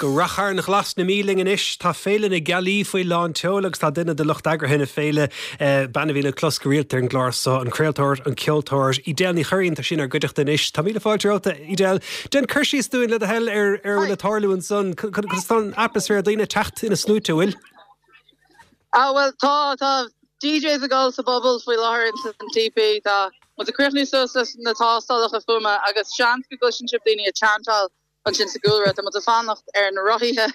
Go Rath Chairn Ghlas na Mí linn anois. Tá Féile na Gealaí faoi lán tseoil agus tá duine de lucht eagraithe na féile, bean a bhíonn le clos go rialta ar an gclár seo, an craoltóir, an ceoltóir, Edel Ní Churraoin, tá sí inár gcuideachta anois. Tá míle fáilte romhat, Edel. Déan cur síos dúinn, le do thoil, ar ar a bhfuil ag tarlú ansan. Conas tá an atmaisféar, daoine ag teacht ina sluaite, an bhfuil? Ah bhuel tá, tá DJs ag dul sa bpuball faoi láthair ins an TP, tá muid ag críochnú suas leis na tástálacha fuaime agus seans go gcloiseann sibh daoine ag chantáil ansin sa gcúlra. Tá muid ag fanacht ar na rothaithe.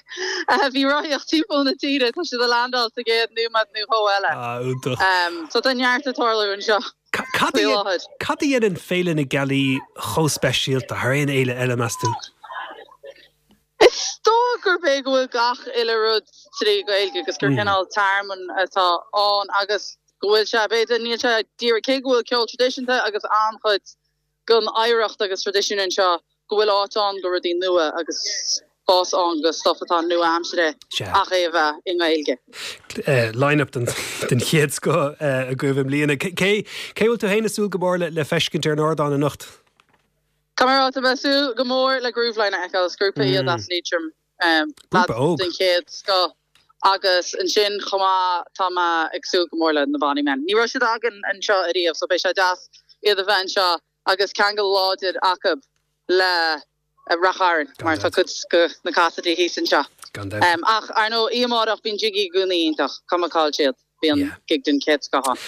Bhí rothaíocht timpeall na tíre, tá siad ag landáil sa gcéad nóiméad nó dhó eile. Ah, iontach. So tá neart ag tarlú anseo faoi láthair. Cad a dhéanann Féile na Gealaí chomh speisialta thar aon fhéile eile, meas tú? Is dóigh gurb é go bhfuil gach uile rud trí Ghaeilge agus gur cineál tearmann atá ann agus go bhfuil sé, b'fhéidir, níl sé díreach, cé go bhfuil ceol traidisiúnta agus an-chuid den oidhreacht agus traidisiún anseo go bhfuil áit ann do rudaí nua agus spás ann do stuff atá nua-aimseartha ach é a bheith i nGaeilge. Line-up den chéad scoth agaibh i mbliana. Cé bhfuil tú féin ag súil go mór le feiscint ar an ardán anocht? Tá mé ag rá, tá mé ag súil go mór le Grooveline a fheiceáil. Is grúpa iad as Liatroim, Grúpa óg. den chéad scoth. Agus ansin chomh maith tá mé ag súil go mór le na Bonny Men. Ní raibh siad againn anseo ariamh so beidh sé deas iad a bheith anseo agus ceangal láidir acu le Rath Chairn mar tá cuid de na Cassidy thíos anseo. Gan dabht. Ach ar ndóigh oíche amárach bíonn Jiggy i gcónaí iontach, cuma cá bhfuil siad. Bíonn gig den chéad scoth ann.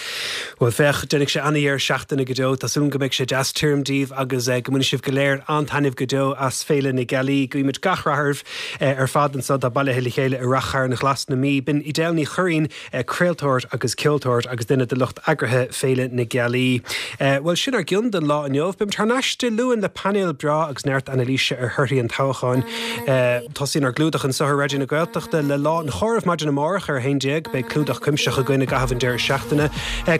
Bhuel féach, déanfaidh sé an-dheireadh seachtaine go deo. Tá súil agam go mbeidh sé deas tirim daoibh agus go mbainfidh sibh go léir an-taitneamh go deo as Féile na Gealaí. Guímid gach rath oraibh ar fad anseo atá bailithe le chéile i Rath Chairn Ghlas na Mí. B'in Edel Ní Churraoin, craoltóir agus ceoltóir agus duine de lucht eagraithe Féile na Gealaí. Bhuel, sin ár gcion don lá inniu. Beimid thar n-ais Dé Luain le painéal breá agus neart anailíse ar thorthaí an toghcháin. Tosaíonn ár gclúdach anseo ar Raidió na Gaeltachta le Lá an Chomhairimh maidin amárach ar 11. Beidh clúdach cuimsitheach againn i gcaitheamh an deireadh seachtaine.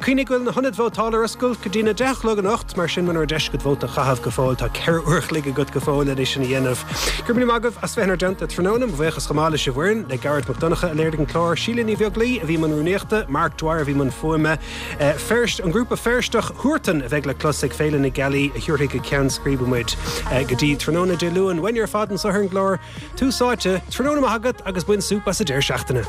Cuimhnigh go bhfuil na hionaid vótála ar oscailt go dtína 10 a chlog anocht, mar sin muna raibh deis agat vóta a chaitheamh go fóill, tá 4 uair a chloig agat go fóill lena sin a dhéanamh. Go raibh míle maith agaibh as bheith inár dteannta tráthnóna. Mo bhuíochas chomh maith leis an bhfoireann, le Gearóid Mac Donncha a léirigh an clár, Síle Ní Bheaglaoi a bhí i mbun rúnaíochta, Mark Dwyer a bhí i mbun fuaime, Feirst, an grúpa Feirsteach Huartan a bheidh le clos ag Féile na Gealaí a thiúrfaidh go ceann scríbe muid go dtí tráthnóna Dé Luain. Uainne ar fad anseo ar an gclár Tús Áite, tráthnóna maith agat agus bain súp as an deireadh seachtaine.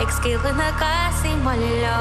Ag scaoileadh na gcasaí maille leo.